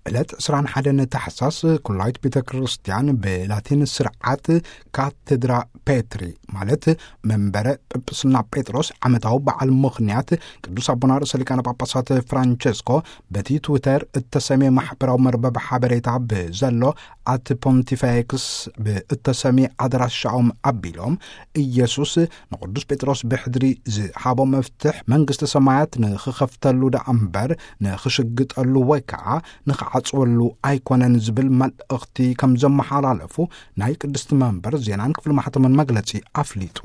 ዕለት ዕስራን ሓደን ታሕሳስ ኩላይት ቤተ ክርስቲያን ብላቲን ስርዓት ካቴድራ ፔትሪ፣ ማለት መንበረ ጵጵስና ጴጥሮስ፣ ዓመታዊ በዓል ምኽንያት ቅዱስ ኣቦና ርእሰ ሊቃነ ጳጳሳት ፍራንቸስኮ በቲ ትዊተር እተሰሜ ማሕበራዊ መርበብ ሓበሬታ ብዘሎ ኣት ፖንቲፌክስ ብእተሰሚ ኣድራሻኦም ኣቢሎም፣ ኢየሱስ ንቅዱስ ጴጥሮስ ብሕድሪ ዝሃቦ መፍትሕ መንግስቲ ሰማያት ንኽኸፍተሉ ደኣ እምበር ንኽሽግጠሉ ወይ ከዓ ንኽዓጽወሉ ኣይኮነን ዝብል መልእኽቲ ከም ዘመሓላለፉ ናይ ቅድስቲ መንበር ዜናን ክፍሊ ማሕተምን መግለጺ ኣፍሊጡ።